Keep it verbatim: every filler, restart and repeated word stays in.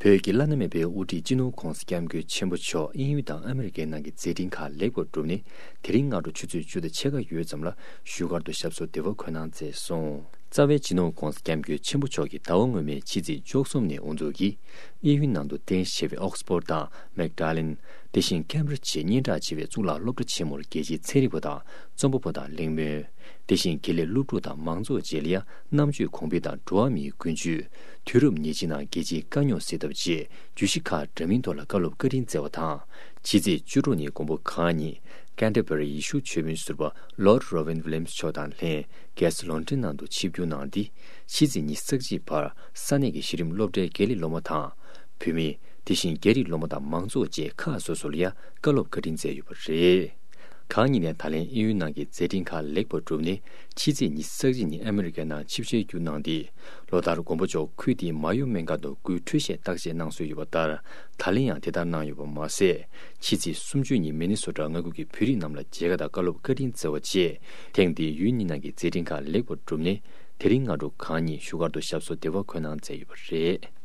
བོད་ཀྱི་བླ་ན་མེད་པའི་དབུ་ཁྲིད་སྤྱི་ནོར་༧གོང་ས་༧སྐྱབས་མགོན་ཆེན་པོ་མཆོག་དབྱིན་ཡུལ་དང་ཨ་མི་རི་ཀའི་ནང་གི་མཛད་འཕྲིན་ཁག་ལེགས་པར་གྲུབ་ནས། དེ་རིང་སྔ་དྲོ་ཆུ་ཚོད་བཅུ་དང་ཕྱེད་ཀ་ཡོལ་ཙམ་ལ་བཞུགས་སྒར་དུ་ཞབས་སོར་བདེ་བར་འཁོད་གནང་མཛད་སོང་། རྩ་བའི་སྤྱི་ནོར་༧གོང་ས་༧སྐྱབས་མགོན་ཆེན་པོ་མཆོག་གིས་ཟླ་བ་སྔོན་མའི་ཕྱི་ཚེས་བཅུ་གསུམ་ནས་དབུ་འཛུགས་ཀྱིས། དབྱིན་ཡུལ་ནང་དུ་རྟེན་གཞི་བྱས་པའི་ཨོག་སི་ཕོར་དང་མེག་ཌ་ལན། དེ་བཞིན་ཁེམ་བྷྲིཇ་བཅས་སྙན་གྲགས་ཆེ་བའི་གཙུག་ལག་སློབ་གྲྭ་ཆེན་མོར་རྒྱལ་སྤྱིའི་ཚན་རིག་པ་དང་རྩོམ་པ་པོ་དང་གླེང་མོལ། དེ་བཞིན་དགེ་ལས་སློབ་ཕྲུག་དང་མང་ཚོགས་བཅས་ལ་ཡང་རྣམ་དཔྱོད་གོང་འཕེལ་དང་འགྲོ་བ་མིའི་ཀུན་སྤྱོད། དུས་རབས་ཉེར་གཅིག་ནང་རྒྱལ་སྤྱིའི་དཀའ་རྙོག་སེལ་ཐབས་བཅས་བརྗོད་གཞི་ཁག་འདྲ་མིན་ཐོག་ལ་བཀའ་སློབ་བཀའ་དྲིན་སྩལ་བ་དང་། ཕྱི་ཚེས་བཅུ་དྲུག་ཉིན་མགོན་པོ་གང་ཉིད་ཀན་ཏེར་བ་རི་ཡི་ཤུལ་ཆོས་དཔོན་ཟུར་པ་ལོརྡ་རོ་ཝིན་ཝི་ལི་ཡམ་སི་མཆོག་དང་ལྷན་རྒྱལ་ས་ལོན་ཌོན་ནང་དུ་ཆིབས་བསྒྱུར་གནང་སྟེ། ཕྱི་ཚེས་ཉི་ཤུ་རྩ་གཅིག་བར་ས་གནས་ཀྱི་གཞི་རིམ་སློབ་གྲྭའི་དགེ་ལས་སློབ་མ་དང་། བུད་མེད། དེ་བཞིན་རྒྱ་རིགས་སློབ་མ་དང་མང་ཚོགས་བཅས་ཁག་སོ་སོ་ལ་ཡང་བཀའ་སློབ་བཀའ་དྲིན་སྩལ་ཡོད་པ་རེད། གང་ཉིད་ནས་ད་ལན་དབྱིན་ཡུལ་ནང་གི་མཛད་འཕྲིན་ཁག་ལེགས་པར་གྲུབ་ནས། ཕྱི་ཚེས་ཉི་ཤུ་རྩ་གཅིག་ཉིན་ཨ་མི་རི་ཀའི་ནང་ཆིབས་ཞལ་བསྒྱུར་གནང་སྟེ། ལོ་ལྟར་མགོན་པོ་མཆོག་ཁུལ་དེའི་མ་ཡོ་སྨན་ཁང་དུ་སྐུའི་འཕྲོད་བཞེས་བརྟག་དཔྱད་གནང་སྲོལ་ཡོད་པ་ལྟར། ད་ལན་ཡང་དེ་ལྟར་གནང་ཡོད་པ་མ་ཟད། ཕྱི་ཚེས་སུམ་ཅུ་ཉིན་མི་ནི་སོ་ཊ་མངའ་ཁུལ་གྱི་བོད་རིགས་རྣམས་ལ་མཇལ་ཁ་དང་བཀའ་སློབ་བཀའ་དྲིན་སྩལ་བ་བཅས། ཐེངས་འདིའི་ཡུལ་གཉིས་ནང་གི་མཛད་འཕྲིན་ཁག་ལེགས་པར་གྲུབ་ནས། དེ་རིང་སྔ་དྲོ་གང་ཉིད་བཞུགས་སྒར་དུ་ཞབས་སོར་བདེ་བར་འཁོད་གནང་མཛད་ཡོད་པ་རེད།